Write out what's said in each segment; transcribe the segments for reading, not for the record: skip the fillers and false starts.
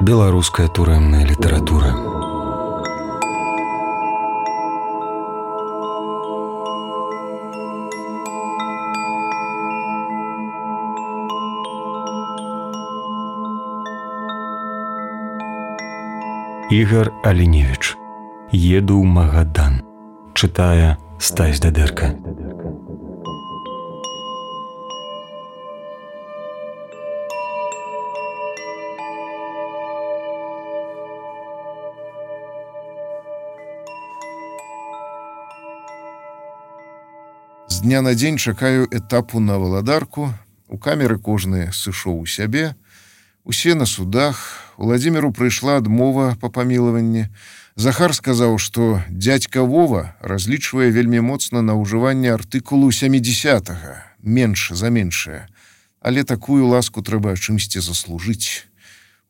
Беларуская турэмная літаратура. Ігар Аліневіч. Еду ў Магадан. Чытае Стась Дадэрка. З дня на дзень чакаю этапу на валадарку. У камеры кожны сышоў у сябе. Усе на судах. Уладзіміру прыйшла адмова па памілаванні. Захар сказаў, што дзядзька Вова разлічвае вельмі моцна на ўжыванне артыкулу 70-га, менш за меншае. Але такую ласку трэба чымсьці заслужыць.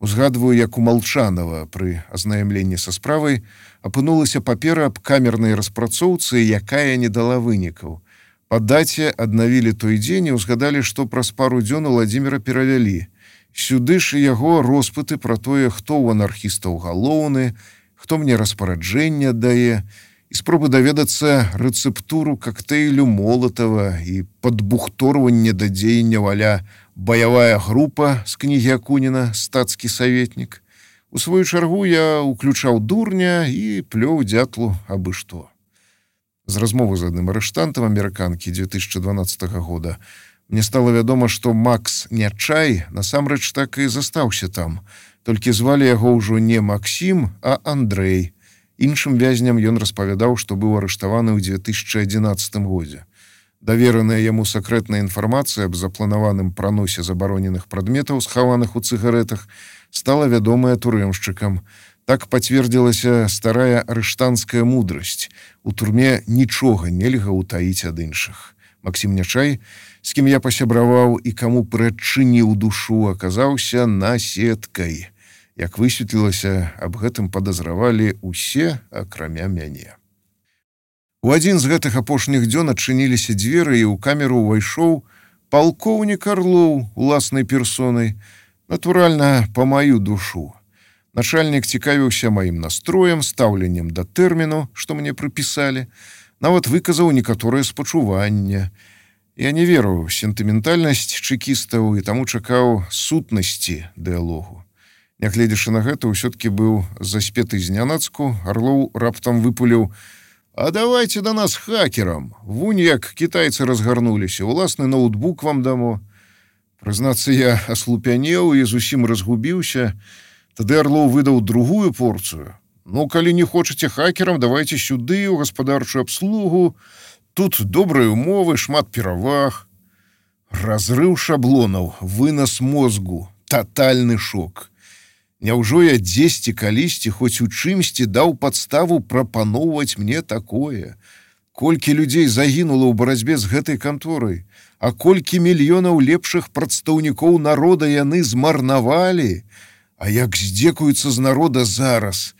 Узгадваю, як у Малчанова пры азнаямленні са справай апынулася папера аб камернай распрацоўцы, якая не дала вынікаў. Па даце аднавілі той дзень і ўзгадалі, што праз пару дзён Уладзіміра перавялі. Сюды ж яго роспыты пра тое, хто ў анархістаў галоўны, хто мне распараджэнне аддае, і спробы даведацца рэцэптуру кактэйлю Молатава і падбухторванне да дзеянняў аля баявая група з кнігі Акуніна «Стацкі саветнік». У сваю чаргу я уключаў дурня і плёў дзятлу абы што. З размовы з адным арыштантам амерыканкі 2012 года мне стала вядома, што Макс Нячай насамрэч так і застаўся там, толькі звалі яго ўжо не Максім, а Андрэй. Іншым вязням ён распавядаў, што быў арыштаваны ў 2011 годзе. Давераная яму сакрэтная інфармацыя аб запланаваным праносе забароненых прадметаў, схаваных у цыгарэтах, стала вядомая турэмшчыкам. Так пацвердзілася старая арыштанская мудрасць. У турме нічога нельга ўтаіць ад іншых. Максім Нячай, з кім я пасябраваў і каму прыадчыніў душу, аказаўся наседкай. Як высветлілася, аб гэтым падазравалі ўсе, акрамя мяне. У адзін з гэтых апошніх дзён адчыніліся дзверы, і ў камеру ўвайшоў палкоўнік Арлоў уласнай персонай, натуральна, па маю душу. Начальнік цікавіўся маім настроем, стаўленнем да тэрміну, што мне прыпісалі, нават выказаў некаторае спачуванне. Я не веру ў сентыментальнасць чэкістаў і таму чакаў сутнасці дыялогу. Нягледзячы на гэта, ўсё-ткі быў заспеты знянацку, Арлоў раптам выпуліў: «А давайте да нас хакерам. Вунь як кітайцы разгарнуліся, уласны ноутбук вам дамо». Прызнацца, я аслупянеў і зусім разгубіўся. Тады Арлоў выдаў другую порцыю. «Ну, калі не хочаце хакерам, давайте сюды, у гаспадарчую абслугу. Тут добрыя умовы, шмат пераваг». Разрыў шаблонаў, вынас мозгу, татальны шок. Няўжо я дзесьці калісьці, хоць у чымсьці даў падставу прапаноўваць мне такое? Колькі людзей загінула ў барацьбе з гэтай канторай, а колькі мільёнаў лепшых прадстаўнікоў народа яны змарнавалі? А як здзекуюцца з народа зараз?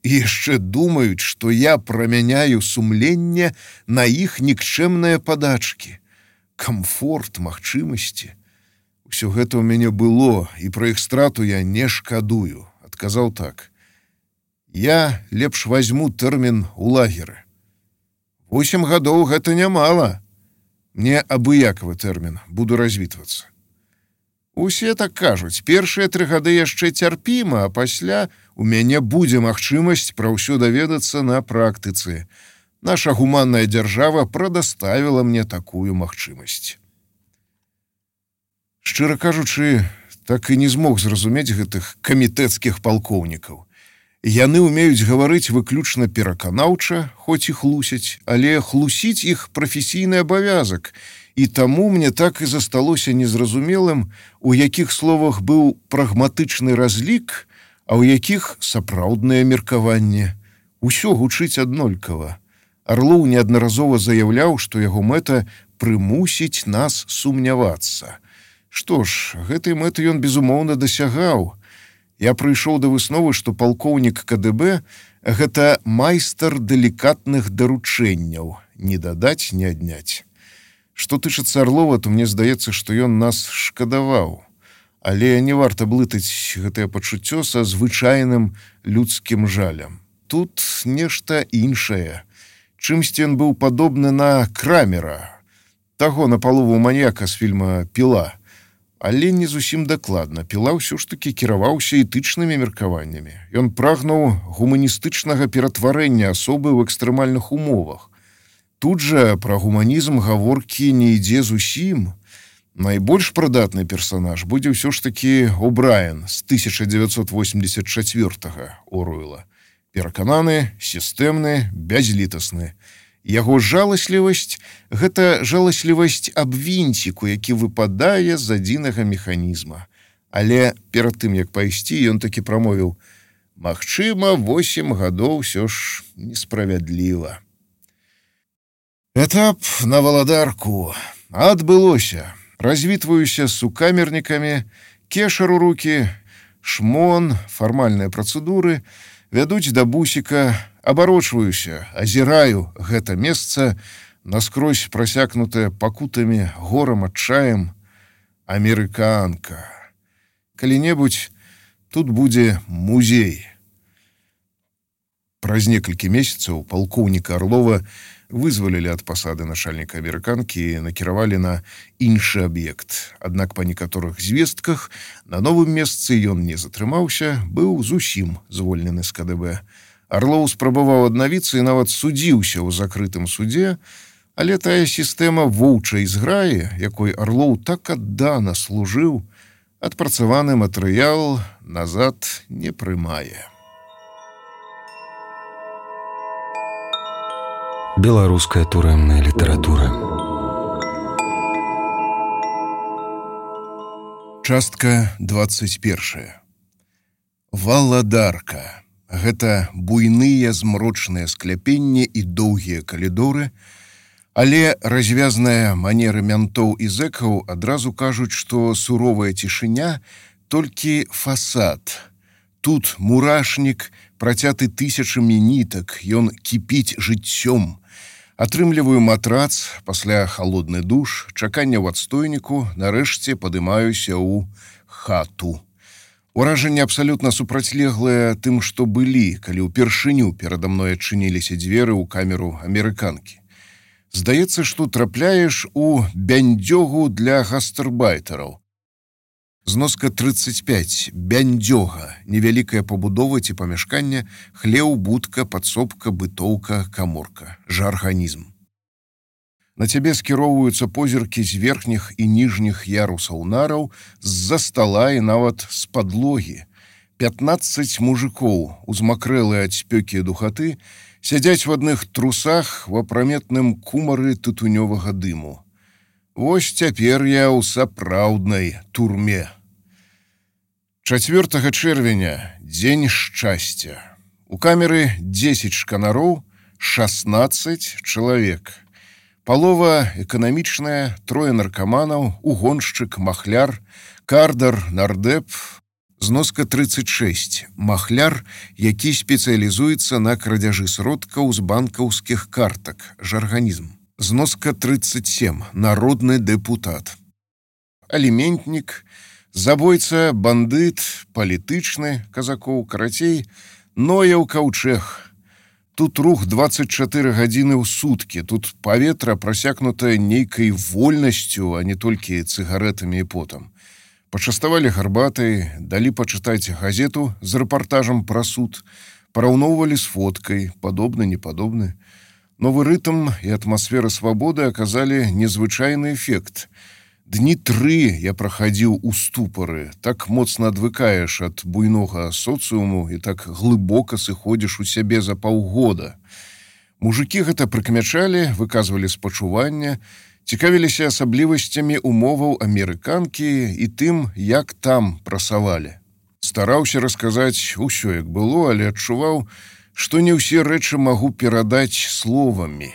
І яшчэ думаюць, што я прамяняю сумленне на іх нікчэмныя падачкі. Камфорт, магчымасці. Усё гэта ў мяне было, і пра іх страту я не шкадую. Адказаў так: «Я лепш вазьму тэрмін у лагеры». 8 гадоў гэта нямала. Мне абыякавы тэрмін, буду развітвацца. Усе так кажуць, першыя 3 гады яшчэ цярпіма, а пасля у мяне будзе магчымасць пра ўсё даведацца на практыцы. Наша гуманная дзяржава прадаставіла мне такую магчымасць. Шчыра кажучы, так і не змог зразумець гэтых камітэцкіх палкоўнікаў. Яны ўмеюць гаварыць выключна пераканаўча, хоць і хлусяць, але хлусіць іх прафесійны абавязак, і таму мне так і засталося незразумелым, у якіх словах быў прагматычны разлік, а ў якіх сапраўднае меркаванне. Усё гучыць аднолькава. Арлоў неаднаразова заяўляў, што яго мэта прымусіць нас сумнявацца. Што ж, гэтай мэты ён безумоўна дасягаў. Я прыйшоў да высновы, што палкоўнік КДБ – гэта майстар далікатных даручэнняў, не дадаць, не адняць. Што тычыцца Арлова, то мне здаецца, што ён нас шкадаваў. Але не варта блытаць гэтае пачуццё са звычайным людскім жалем. Тут нешта іншае. Чымсьці ён быў падобны на Крамера, таго напалову маньяка з фільма «Піла». Але не зусім дакладна. Піла ўсё ж такі кіраваўся этычнымі меркаваннямі. Ён прагнуў гуманістычнага ператварэння асобы ў экстрэмальных умовах. Тут жа пра гуманізм гаворкі не ідзе зусім. Найбольш прыдатны персанаж будзе ўсё ж такі О'Брайен з 1984 Оруэлла. Перакананы, сістэмны, бязлітасны. Яго жаласлівасць – гэта жаласлівасць аб вінціку, які выпадае з адзінага механізма. Але перад тым, як пайсці, ён такі прамовіў: «Магчыма, 8 гадоў ўсё ж несправядліва». Этап на валадарку. Адбылося. Развітваюся з сукамернікамі, кешар у рукі, шмон, фармальныя працэдуры, вядуць да бусіка, абарочваюся, азіраю гэта месца, наскрозь прасякнутае пакутамі, горам, адчаем. Амерыканка. Калі-небудзь тут будзе музей. Праз некалькі месяцаў палкоўніка Арлова вызвалілі ад пасады начальніка амерыканкі і накіравалі на іншы аб'ект. Аднак па некаторых звестках на новым месцы ён не затрымаўся, быў зусім звольнены з КДБ. Арлоў спрабаваў аднавіцца і нават судзіўся ў закрытым судзе, але тая сістэма воўчай зграі, якой Арлоў так аддана служыў, адпрацаваны матэрыял назад не прымае. Беларуская турэмная літаратура. Частка 21. Валадарка. Гэта буйныя змрочныя скляпенні і доўгія калідоры, але развязныя манеры мянтоў і зэкаў адразу кажуць, што суровая цішыня толькі фасад. Тут мурашнік, працяты тысячамі нітак, ён кіпіць жыццём. Атрымліваю матрац, пасля халодны душ, чаканне ў адстойніку, нарэшце падымаюся ў хату. Уражанне абсалютна супрацьлеглае тым, што былі, калі ўпершыню перада мной адчыніліся дзверы ў камеру амерыканкі. Здаецца, што трапляеш у бяндзёгу для гастарбайтараў. Зноска 35. Бяндзёга. Невялікая пабудова ці памяшкання, хлеў, будка, падсобка, бытоўка, каморка. Жарганізм. На цябе скіроўваюцца позіркі з верхніх і ніжніх ярусаў нараў, з-за стала і нават з падлогі. 15 мужикоў, узмакрэлыя ад спёкі і духаты, сядзяць в адных трусах в апраметным кумары тытунёвага дыму. Вось цяпер я ў сапраўднай турме. 4 чэрвеня, дзень шчасця. У камеры 10 шканароў, 16 чалавек. Палова эканамічная, 3 наркаманаў, угоншчык, махляр, кардар, нардеп. Зноска 36. Махляр, які спецыялізуецца на крадзяжы сродкаў з банкаўскіх картак. Жарганізм. Зноска 37. Народны дэпутат. Аліментнік, забойца, бандыт, палітычны, казакоў, карацей, Нояў каўчэг. Тут рух 24 гадзіны ў суткі, тут паветра прасякнутае нейкай вольнасцю, а не толькі цыгарэтамі і потам. Пачаставалі гарбатай, далі пачытаць газету з рэпартажам пра суд, параўноўвалі з фоткай, падобны, непадобны. Новы рытм і атмасфера свабоды аказалі незвычайны эфект. Дні 3 я прахадзіў у ступары, так моцна адвыкаеш ад буйнога соцыуму і так глыбока сыходзіш у сябе за паўгода. Мужыкі гэта прыкмячалі, выказвалі спачуванне, цікавіліся асаблівасцямі умоваў амерыканкі і тым, як там прасавалі. Стараўся расказаць усё, як было, але адчуваў, што не ўсе рэчы магу перадаць словамі.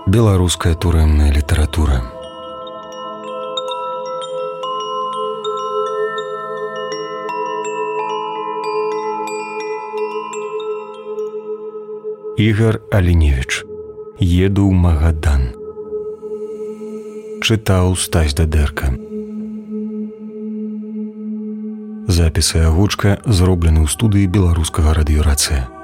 Беларуская турэмная літаратура. Ігар Аліневіч. Еду ў Магадан. чытаў Стась Дадэрка. Запіс і агучка зроблены ў студыі беларускага радыёрацыя.